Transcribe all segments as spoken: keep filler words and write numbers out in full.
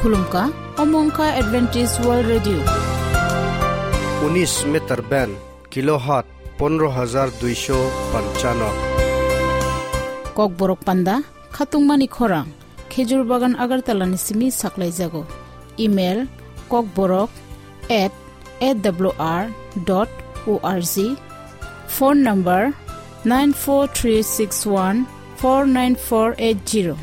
Khulumkha, omo wngkha Adventist World Radio. Unis meter band, kilohertz pondro hajar duisho panchano. Kokborok panda, khatungmani khorang, Khejur Bagan Agartala ni simi saklaijago. Email, kokborok at A W R dot O R G. Phone number, nine four three six one four nine four eight zero.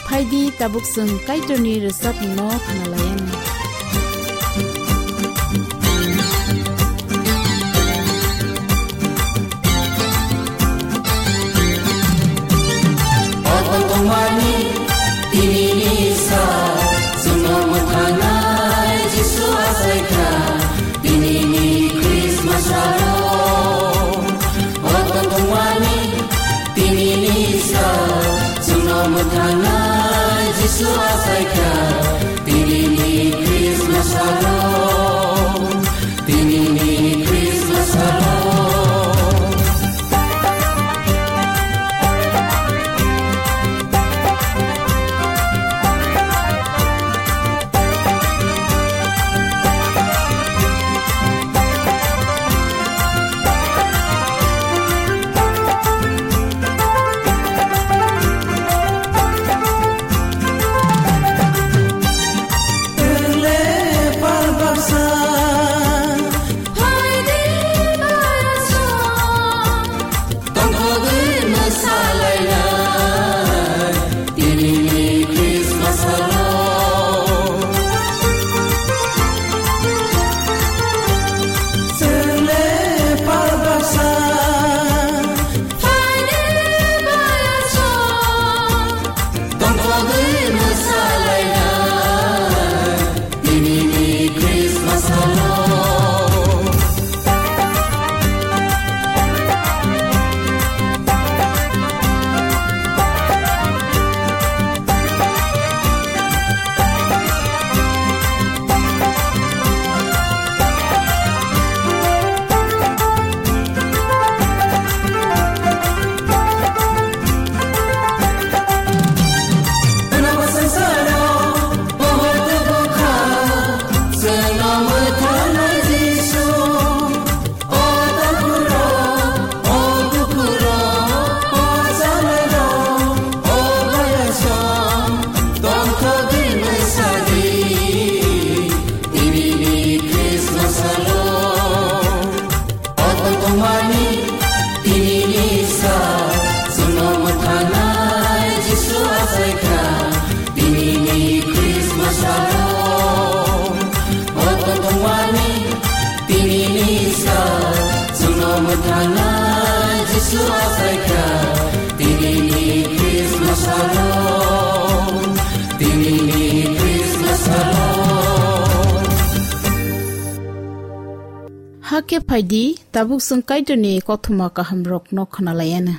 Phaidi tabuk chwng Kaitorni rwchapmungno khwnalaianw. Obo tongmani tinini sa, chwngno mwthangnai Jisu achaikha, tinini Christmas aro. Obo tongmani tinini sa, chwngno mwthangnai Jisu achaikha, tinini Christmas aro. Tinini Christmas aro. Obo tongmani tinini sa, chwngno mwthangnai Jisu achaikha, tinini Christmas aro. Obo tongmani tinini sa, chwngno mwthangnai Jisu achaikha, tinini Christmas aro, tinini Christmas aro. Hakhe phaidi, tabuk chwng Kaitorni kothoma kahamrokno khwnalaianw.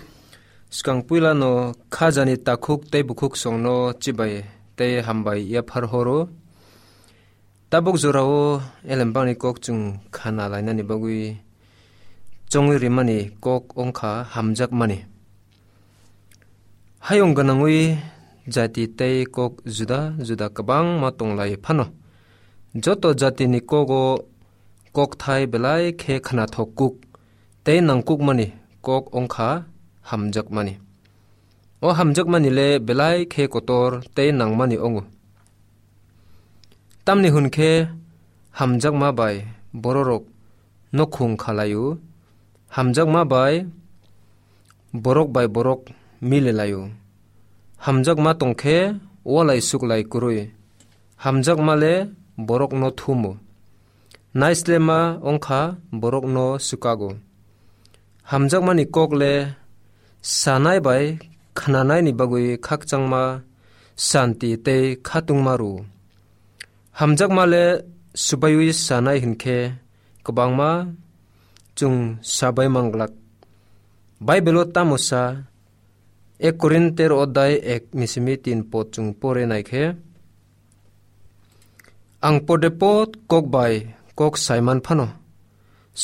Swkang puilano khajani takhuk tei bukhuk songno chibai tei hambai yaphar horo. Tabuk jorao elembani kok chwng khana lainani bagwi chongwi rimani kok wngkha hamjakmani. Hayung gwnangwi jati tei kok juda juda kwbangma tonglai phano, joto jatini kogo kokthai belai khe khnathok kuk tei nangkukmani kok wngkha hamjakmani. O hamjakmani le belai khe kotor tei nangmani wngo. Tamni hwn khe hamjakma bai bororok nokhung kha lai-o, hamjakma bai borok bai borok mili lai-o. Hamjakma tong khe walai suklai kwrwi, hamjakma le borokno thumo. Naislema wngkha borokno swkago. Hamjakmani kok le sanai bai khnanaini bagwi khakchangma santi tei khatungma rwo. Hamjakma le swbaiwi sanai hwn khe kwbangma chwng sabai manglak. Baibelo tamo sa, Ek Korinter odai ek ni simi tin pod chwng pore nai khe, ang podepod kok bai kok saiman phano,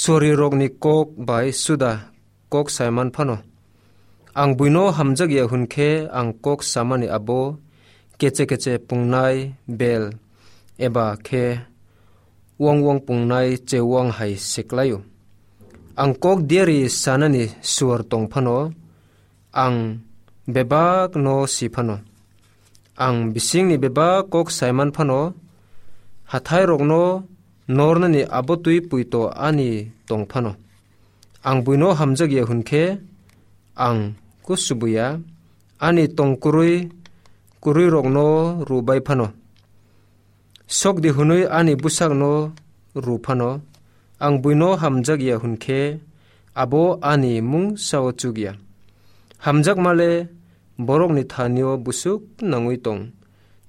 sorirokni kok bai suda kok saiman phano, ang buino hamjak ya hwn khe, ang kok samani abo keche keche pungnai bel eba khe wang wang pungnai chewang hai se klaio. Ang kok diari sanani suar tong phano, ang bebak no si phano, ang bisingni bebak kok saiman phano, hathairokno nornani abo twi puito ani tong phano. Ang buino hamjak ya hwn khe, ang kusubuya, ani tong kwrwi kwrwirokno rubai phano. Sok di hwnwi ani bwsakno ru phano, ang buino hamjak ya hwn khe, abo ani mung sao chuk ya. Hamjakma le borokni thanio busuk nangwi tong,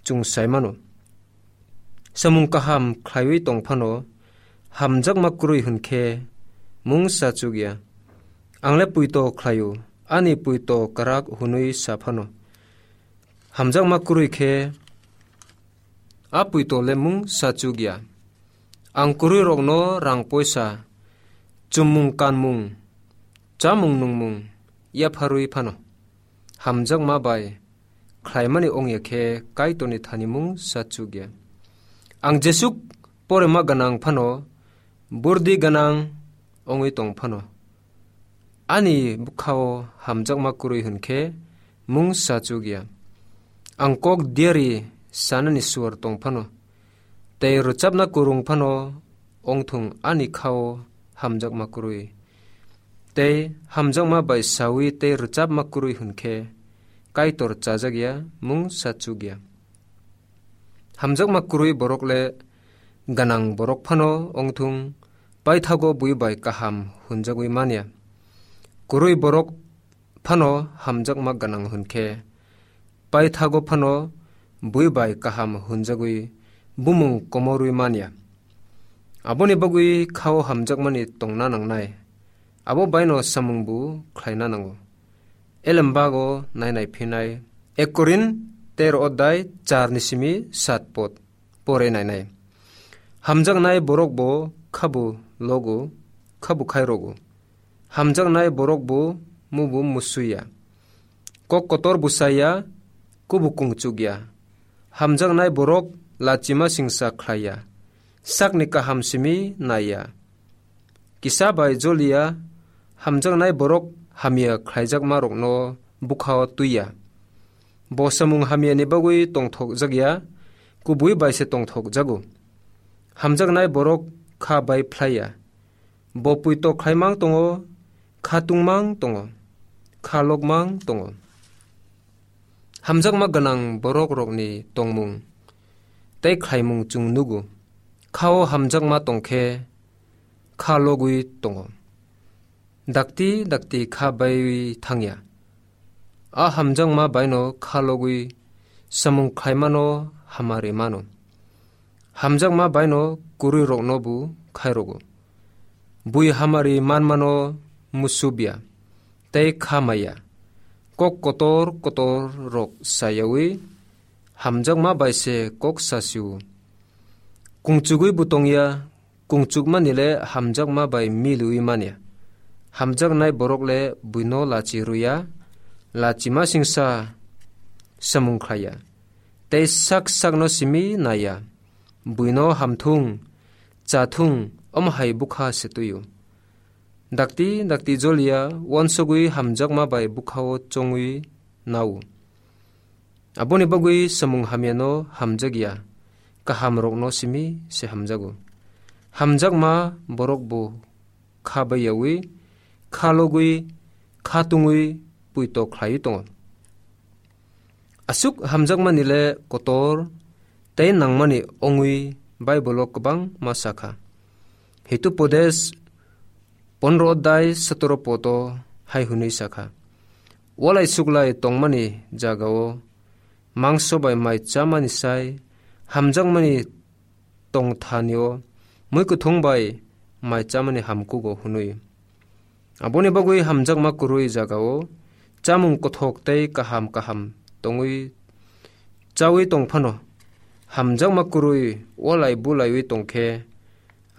chwng sai mano. Samung kaham khlaiwi tong phano, hamjakma kwrwi hwn khe mung sa chuk ya. Ang le puito khlaio, ani puito kwrak hwnwi sa phano, hamjakma kwrwi khe a puito le mung sa chuk ya. Ang kwrwirokno rang poisa, chumung kanmung, chamung nungmung yapharwi phano, hamjakma bai khlaimani ong ya khe Kaitorni thani mung sa chuk ya. Ang jesuk porema gwnang phano, burdi gwnang ongwi tong phano, ani bwkhao hamjakma kwrwi hwn khe mung sa chuk ya. Ang kok diari sanani suar tong phano, tei rwchapna kwrwng phano ongthung ani khao hamjakma kwrwi. Tei hamjakma bai sawi tei rwchapma kwrwi hwn khe Kaitor chajak ya, mung sa chuk ya. Hamjakma kwrwi borok le gwnang borok phano ongthung, paithago bui bai kaham hwnjagwi man ya. Kwrwi borok phano hamjakma gwnang hwn khe, paithago phano bui bai kaham hwnjagwi bumung komorwi man ya. Aboni bagwi khao hamjakmani tongna nangnai, abo baino samungbu khlaina nango. Elembago nainai phinai, Ek Korin tero odai char ni simi sat pod pore nainai. Hamjaknai borok bo khabu logo, khabu khai rogo. Hamjaknai borok bo mubu musuya. Kok kotor busaya, kubu kungchukya. Hamjaknai borok lachima singsa khlaiya. Sakni kaham simi naiya. Kisa bai joliya, hamjaknai borok hamya khlaijakmarokno bukhao twiya. Bo samung hamyani bagwi tongthokjakya, kubui bai se tongthokjago. Hamjaknai borok kha bai phlaiya. Bo puito khlaimang tongo, kha tungmang tongo, kha lokmang tongo. Hamjakma gwnang borokrokni tongmung tei khlaimung chwng nugo. Khao hamjakma tongkhe kha logwi tongo. Dakti dakti kha baiwi thangya. A hamjakma baino kha logwi samung khlaimano hamari mano. Hamjakma baino kwrwirokno bo khairogo. Bui hamari manmano musubya tei kha maya. Kok kotor kotor rok sayawi hamjakma bai se kok sasio. Kungchugwi bo tongya, kungchukmani le hamjakma bai milwi manya. Hamjaknai borok le buino lachi ruya, lachima singsa samung khlaiya. Tei sak sakno simi naiya. Buino hamthung, chathung, omo hai bukha se tuio. Dakti dakti joliya, uansugwi hamjakma bai bukhao chongwi nao. Aboni bagwi samung hamyano hamjakya, kahamrokno simi se hamjago. Hamjakma borok bo kha baiyawi, kha logwi, kha tungwi puito khlaiwi tongo. Aswk hamjakmani le kotor tei nangmani ongwi Baibolo kwbangma sakha. Hitupodes pondro odai sotoro poto hai hwnwi sakha, walai suklai tongmani jagao mangso bai mai chamani sai hamjakmani tongthanio mui kuthung bai mai chamani hamkugo hwnwi. Aboni bagwi hamjakma kwrwi jagao chamung kothok tei kaham kaham tongwi chawi tong phano, hamjakma kwrwi walai bulaiwi tong khe,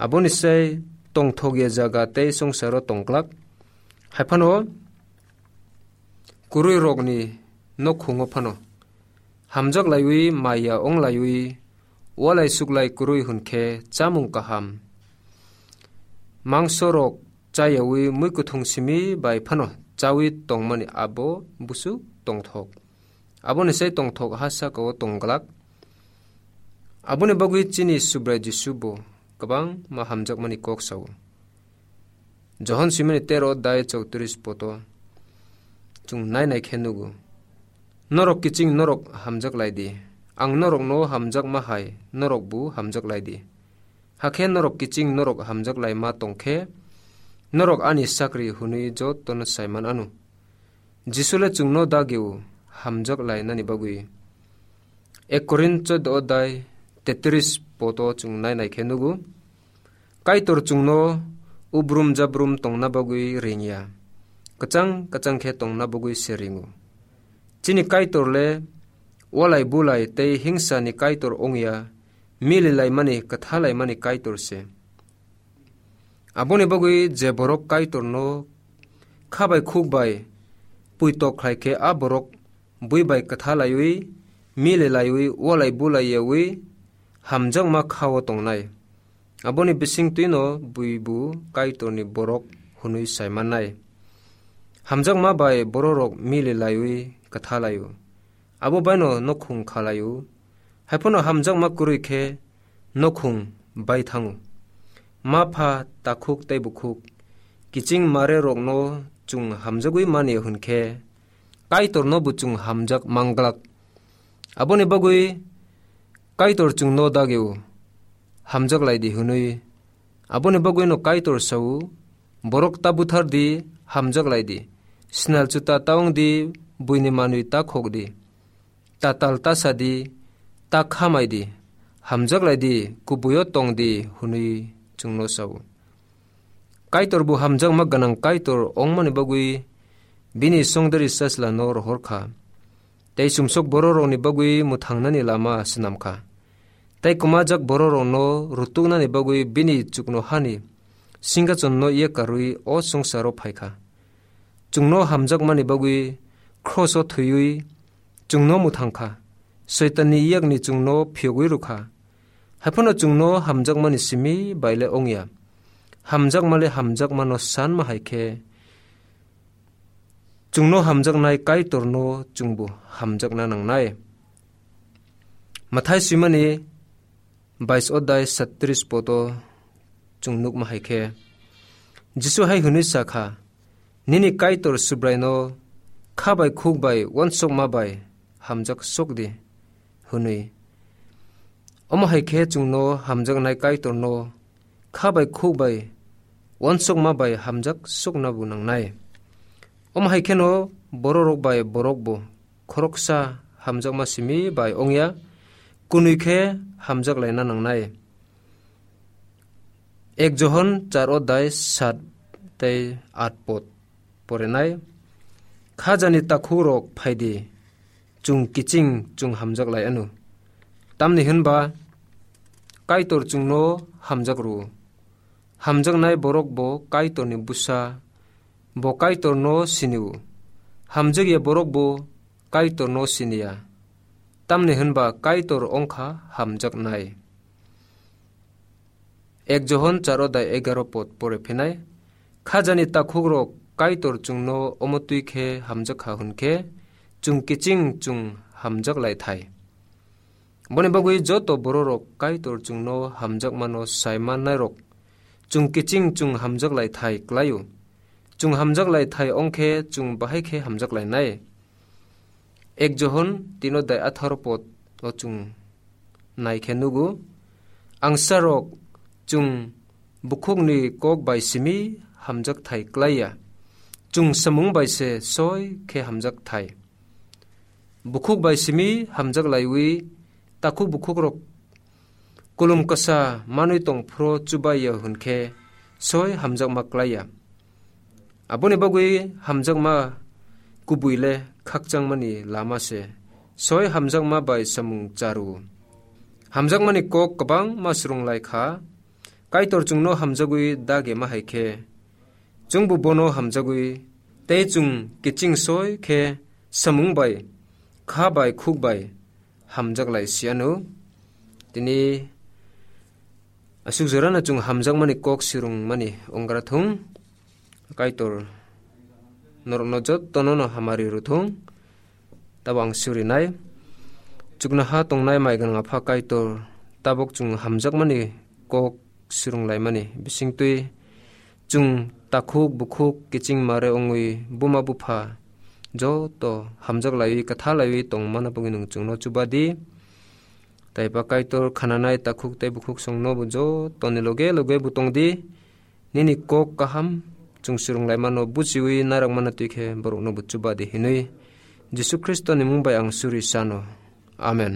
aboni sai tongthokya jaga tei songsaro tong glak. Hai phano kwrwirokni nokhungo phano hamjak laiwi, maya wng laiwi, walai suklai kwrwi hwn khe chamung kaham mangsorok chayawi muikwthwng simi bai phano chawi tongmani abo busu tongthok. Aboni sai tongthok ha saka-o tong glak. Aboni bagwi chini Subrai Jisu bo kwbangma hamjakmani kok sao. Johon simani tero dai chowtris poto chwng nai nai khe nugo. Norok kiching norok hamjak lai di. Ang norokno hamjakma hai norok bo hamjak lai di. Hakhe norok kiching norok hamjak lai ma tong khe norok ani sakri hwnwi jotono sai man anw. Jisu le chwngno dagio hamjak lainani bagwi. Ek Korin choddo odai tetris poto chwng nai nai khe nugo. Kaitor chwngno ubrum jabrum tongna bagwi ringya. Kwchang kwchang khe tongna bagwi se ringo. Chini Kaitor le walai bulai tei hingsani Kaitor wngya, mililaimani, kwthalaimani Kaitor se. Aboni bagwi je borok Kaitorno kha bai khuk bai puitok khlai khe, a borok bui bai kwtha laiwi, mili laiwi, walai bulai yawi hamjakma kha-o tongnai. Aboni bising twino buibu Kaitorni borok hwnwi sai mannai. Hamjakma bai bororok mili laiwi kwtha lai-o. Abo baino nokhung kha lai-o. Haiphano hamjakma kwrwi khe nokhung bai thango. Ma pha, takhuk tei bukhuk, kiching mare rokno chwng hamjagwi mani hwn khe, Kaitorno bo chwng hamjak manglak. Aboni bagwi Kaitor chwngno dagio, hamjak lai di hwnwi. Aboni bagwino Kaitor sao, borok ta buthar di, hamjak lai di. Snal chuta ta wng di, buini manwi ta khok di. Ta tal ta sa di, ta khamai di, hamjak lai di, kubuio tong di, hwnwi chwngno sao. Kaitor bo hamjakma gwnang Kaitor ongmani bagwi bini songdari sachla no rohor kha. Tei sumsok bororokni bagwi mwthangnani lama swnam kha. Tei kwmajak bororokno rutuknani bagwi bini chuknohani singkachonno yakarwi o songsaro phai kha. Chwngno hamjakmani bagwi khroso thwiwi chwngno mwthang kha. Soitanni yakni chwngno phiyogwi rw kha. Haiphano chwngno hamjakmani simi bai le ongya. Hamjakma le hamjakmano sanma hai khe, chwngno hamjaknai Kaitorno chwngbo hamjakna nangnai. Mathai swimani bais odai satris poto chwng nukma hai khe, Jisu hai hwnwi sa kha, "Nini Kaitor Subraino kha bai khuk bai uansukma bai hamjak sok di," hwnwi. Omo hai khe chwngno hamjaknai Kaitorno kha bai khuk bai uansukma bai hamjak sokna bo nangnai. Omo hai kheno bororok bai borok bo khoroksa hamjakma simi bai ongya, kunui khe hamjak laina nangnai. Ek Johon char odai sat tei at pot porenai. Khajani takhukrok phai di, chwng kiching chwng hamjak lai anw. Tamni hwnba Kaitor chwngno hamjak rw-o. Hamjaknai borok bo Kaitorni bwsa, bo Kaitorno sini-o. Hamjakya borok bo Kaitorno siniya, tamni hwnba Kaitor ongkha hamjaknai. Ek Johon char odai egaroh pod pore phinai, khajani takhukrok Kaitor chwngno omo twi khe hamjak kha hwn khe, chwng kiching chwng hamjak lai thai. Boni bagwi joto bororok Kaitor chwngno hamjakmano sai mannairok chwng kiching chwng hamjak lai thai klai-o. Chwng hamjak lai thai ong khe chwng bahai khe hamjak lainai. Ek Johon tin odai atharo pod o chwng nai khe nugo, angsarok chwng bukhukni kok bai simi hamjak thai klai ya, chwng samung bai se soi khe hamjak thai. Bukhuk bai simi hamjak laiwi takhuk bukhukrok kulum kasa manwi tong phuru chubai ya hwn khe soi hamjakma klai ya. Aboni bagwi hamjakma kubui le khakchangmani lama se. Soi hamjakma bai samung charu. Hamjakmani kok kwbangma swrwng lai kha. Kaitor chwngno hamjagwi dage ma hai khe, chwngbo bono hamjagwi, tei chwng kiching soi khe samung bai, kha bai, khuk bai hamjak lai si ano. Tini aswk jorano chwng hamjakmani kok swrwngmani onggra thung. Kaitor norokno jottono no hamari rwthung. Tabo ang surinai. Chuknoha tongnai mai gwnang Apha Kaitor, tabuk chwng hamjakmani kok swrwnglaimani bisingtwi chwng takhuk bukhuk kiching mare wngwi buma bupha joto hamjak laiwi kwtha laiwi tongmana bagwi nwng chwngno chuba di. Taiba Kaitor khananai takhuk tei bukhuk songno bo jotoni loge loge bo tong di. Nini kok kaham chwng swrwnglaimano buchiwi narwkmano twi khe borokno bo chuba di hinwi Jisu Khristoni mung bai ang suri sano. Amen.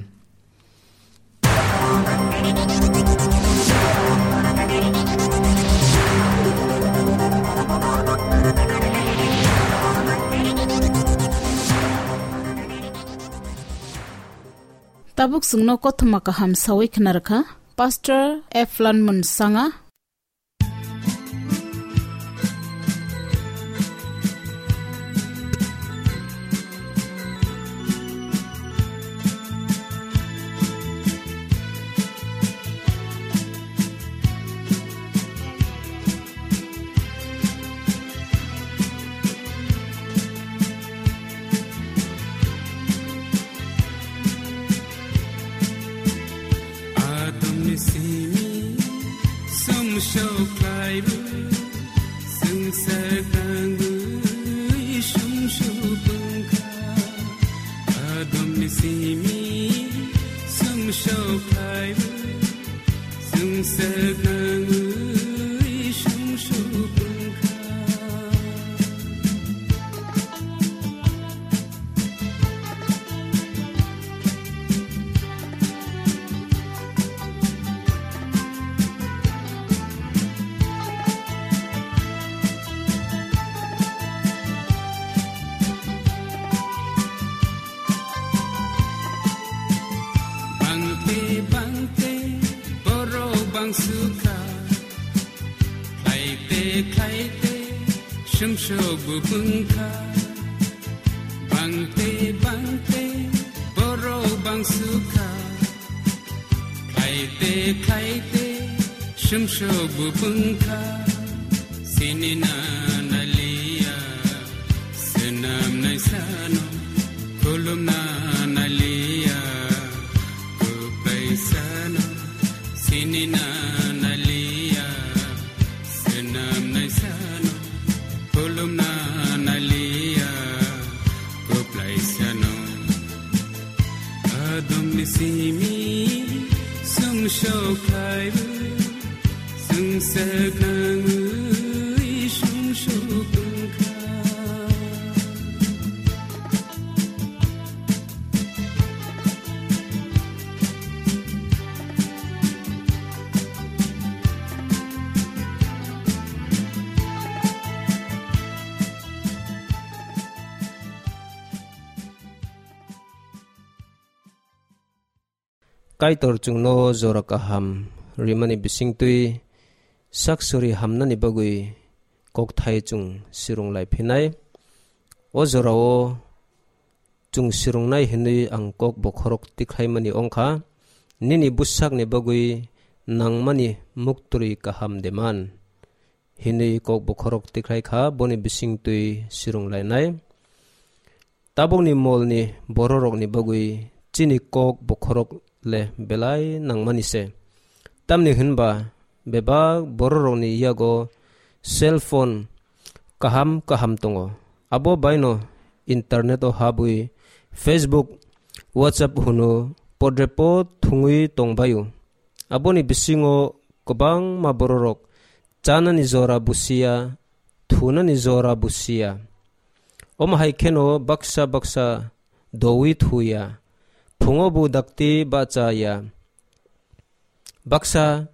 Tabuk chwngno kothoma kaham sawi khna rwkha Pastor Eflan Munsanga. Adomni simi sumsok khlaibu, swngchar tangwi sumsok wngkha. Adomni simi sumsok khlaibu, swngchar tangwi sumsok wngkha. Bangte bangte borok bangsukha, khlaite khlaite sumsok bo wngkha. Bangte bangte borok bangsukha, khlaite khlaite sumsok bo wngkha. Sinina naliya, swnam naisano, khulumna naliya, kwplai sano. Sinina naliya, swnam naisano, khulumna naliya, kwplai sano. Adomni simi sumsok khlaibu, swngchar tangwi sumsok wngkha. Kaitor chwngno jora kaham rimani bisingtwi sak suri hamnani bagwi kokthai chwng swrwng lai phinai. O jorao chwng swrwngnai hinwi ang kok bokhorok tikhlaimani wngkha, nini bwsakni bagwi nangmani muktwi kaham de man, hinwi kok bokhorok tikhlai kha, boni bisingtwi swrwng lainai. Tabukni molni bororokni bagwi chini kok bokhorok le belai nangmani se. Tamni hwnba bebak bororokni yago cell phone kaham kaham tongo. Abo baino internet o habwi Facebook, WhatsApp hwno podrepo thwngwi tongbaio. Aboni bisingo kwbangma bororok chanani jora busiya, thunani jora busiya. Omo hai kheno baksa baksa dowi thuya, phungo bo dakti bachaya. Baksa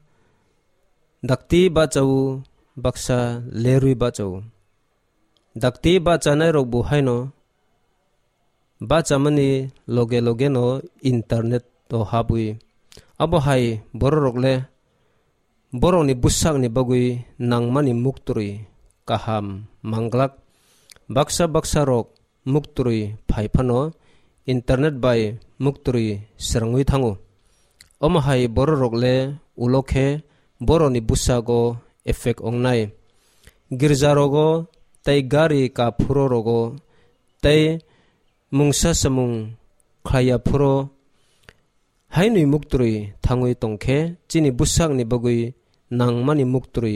dakti bachao, baksa lerwi bachao. Dakti bachanairok bo haino Bachamani loge logeno internet o habwi. Abo hai bororok le borokni bwsakni bagwi nangmani muktwrwi kaham manglak. Baksa baksa rok muktwrwi phai phano internet bai muktwrwi srangwi thango. Omo hai bororok le ulo khe borokni bwsago effect ongnai. Girjarogo tei gari kaphuro rogo tei mungsa samung khlaiya phuro hainwi muktwrwi thangwi tongkhe chini bwsakni bagwi nangmani muktwrwi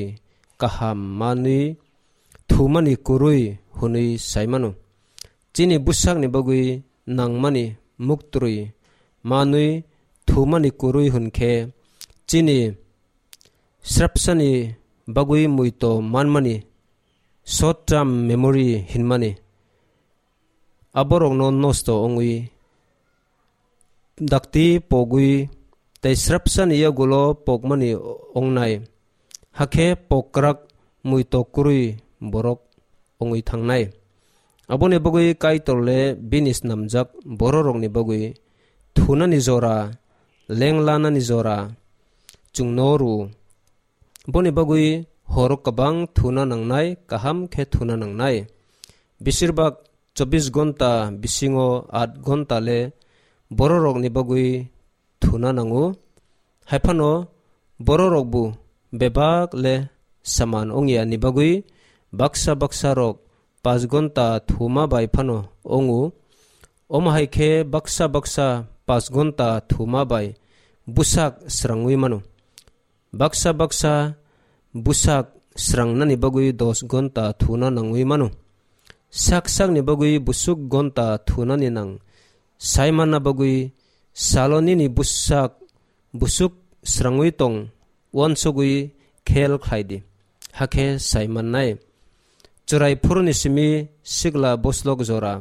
kaham manwi thumani kwrwi hwnwi sai mano. Chini bwsakni bagwi nangmani muktwrwi manwi thumani kwrwi hwnkhe chini srapsani bagwi muito manmani short term memory hinmani aborokno nosto wngwi dakti pogwi tei srapsani yagulo pokmani ongnai, hakhe pokrak muito kwrwi borok wngwi thangnai. Aboni bagwi Kaitor le bini snamjak bororokni bagwi thunani jora, lenglanani jora chwngno rw-o. Boni bagwi horo kwbang thuna nangnai, kaham khe thuna nangnai. Besirbak chobbish gonta bisingo aat gonta le bororokni bagwi thuna nango. Haiphano bororokbo bebak le saman ongya ni bagwi baksa baksa rok paanch gonta thuma bai phano ongo. Omo hai khe baksa baksa paanch gonta thuma bai bwsak srangwi mano. Baksa baksa bwsak srangnani bagwi dos gonta thuna nangwi mano. Sak sakni bagwi busuk gonta thunani nang sai manna bagwi salo nini bwsak busuk srangwi tong uansugwi khel khlai di, hakhe sai mannai. Chwrai phuruni simi sikla boslok jora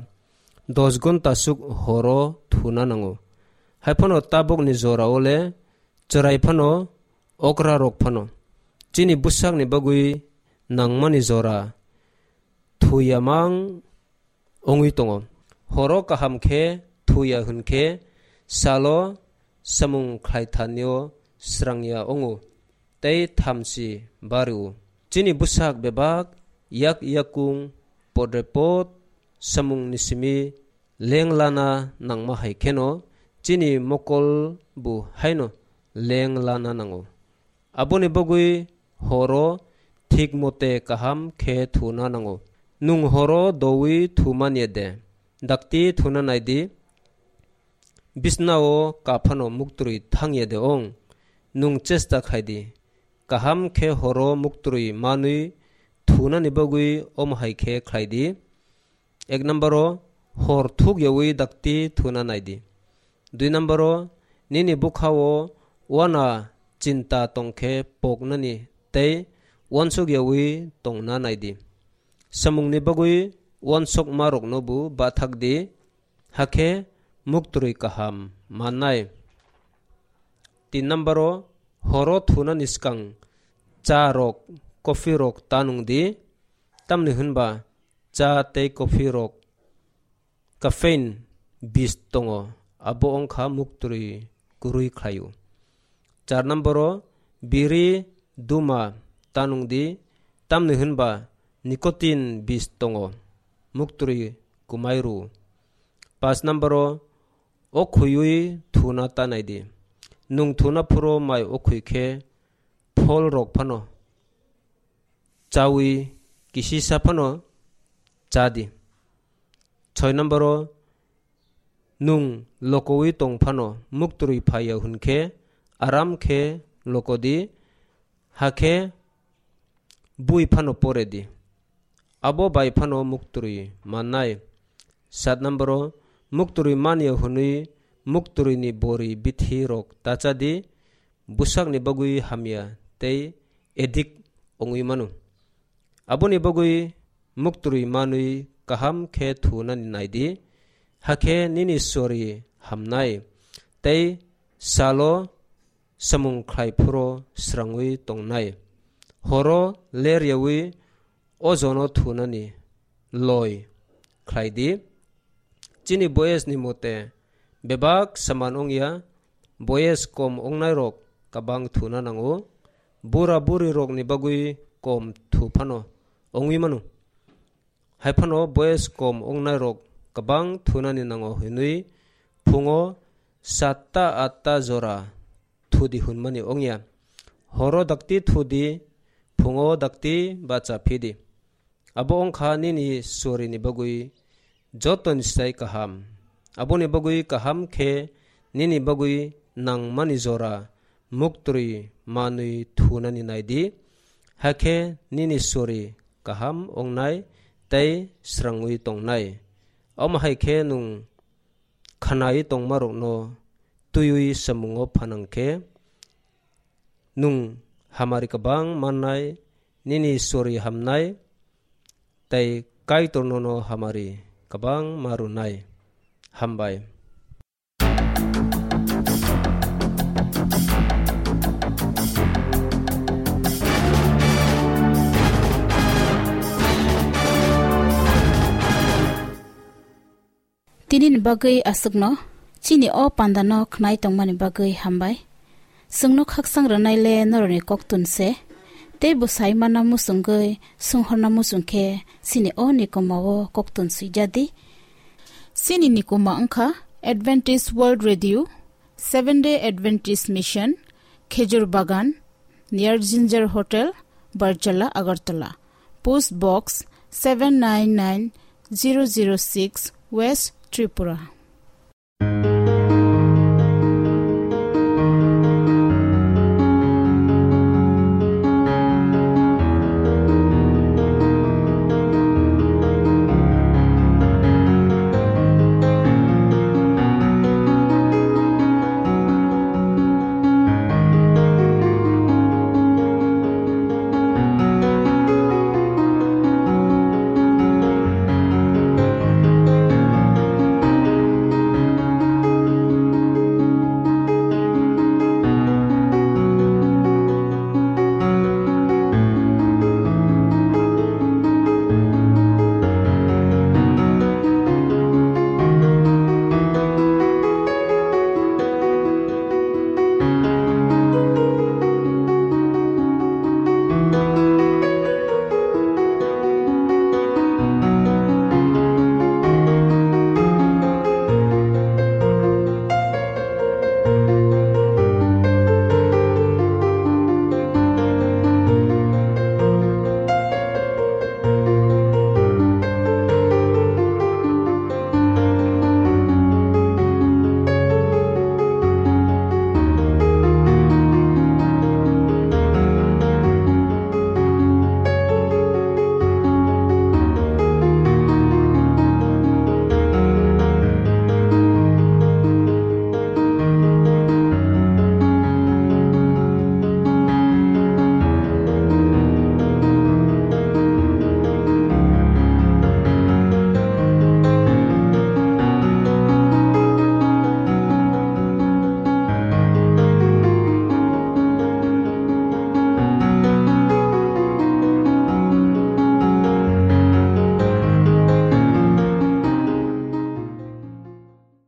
dos gonta suk horo thuna nango. Haiphano tabukni jorao le chwrai phano, okrarok phano chini bwsakni bagwi nangmani jora thuya mang wngwi tongo. Horo kaham khe thuya hwn khe salo samung khlai thanio srangya wngo tei thamchi bario. Chini bwsak bebak yak yakung podrepot samungni simi lenglana nangma hai kheno chini mokol bo haino lenglana nango. Aboni bagwi horo thik mote kaham khe thuna nango. Nwng horo doui thumani de? Dakti thuna nai di. Bisnao kaphano muktwrwi thangya de ong? Nwng chesta khai di. Kaham khe horo muktwrwi manwi thunani bagwi omo hai khe khlai di. Ek number o hor thuk yaui dakti thuna nai di. Dui number o nini bwkha o uana chinta tong khe poknani tei uansuk yaui tongna nai di. Samungni bagwi uansukma rokno bo bathak di, hakhe muktwrwi kaham mannai. Tin number o horo thunani swkang cha rok, coffee rok ta nung di, tamni hwnba cha tei coffee rok caffeine bis tongo, abo wngkha muktwrwi kwrwi khlaio. Char number o biri duma ta nung di, tamni hwnba nicotine bis tongo, muktwrwi kwmai rw-o. Paanch number o okhwiwi thuna ta nai di. Nwng thuna phuru mai okhwi khe phol rok phano chawi kisisa phano cha di. Soi number o nwng lokowi tong phano muktwrwi phaiya hwn khe aram khe loko di, hakhe bui phano pore di. Abo bai phano muktwrwi mannai. Sat number o muktwrwi manya hwnwi muktwrwini bori bithi rok ta cha di, bwsakni bagwi hamya tei addict wngwi mano. Aboni bagwi muktwrwi manwi kaham khe thunani nai di, hakhe nini sori hamnai tei salo samung khlai phuru srangwi tongnai. Horo ler yaui ojono thunani loi khlai di. Chini boyes ni mote bebak saman wngya, boyes kom wngnai rok kabang thuna nango, bura buri rok ni bagwi kom thu phano wngwi mano. Hai phano boyes kom wngnai rok kabang thunani nango hinwi phungo satta atta jora thudi hwnmani wngya. Horo dakti thudi, phungo dakti bacha phidi. Abo wngkha nini sorini bagwi jotoni sai kaham. Aboni bagwi kaham khe nini bagwi nangmani jora muktwi manwi thunani naidi, hakhe nini sori kaham wngnai tei srangwi tongnai. Omo hai khe nwng khanai tongmarokno twiwi samungo phanang khe, nwng hamari kwbang mannai, nini sori hamnai, tei Kaitor nono hamari kwbang ma rwnai. Hambai. Tini ni bagwi aswkno, chini o panda no khnai tongmani bagwi hambai. Chwngno khaksang rwnai le norokni koktun se, tei bwsai mana muchungwi sunghorna muchung khe chini o nikoma o koktun swijadi. Chini nikoma wngkha Adventist World Radio, Seventh Day Adventist Mission, Khejur Bagan, near Ginger Hotel, Barjala, Agartala. Post Box seven nine nine zero zero six, West Tripura.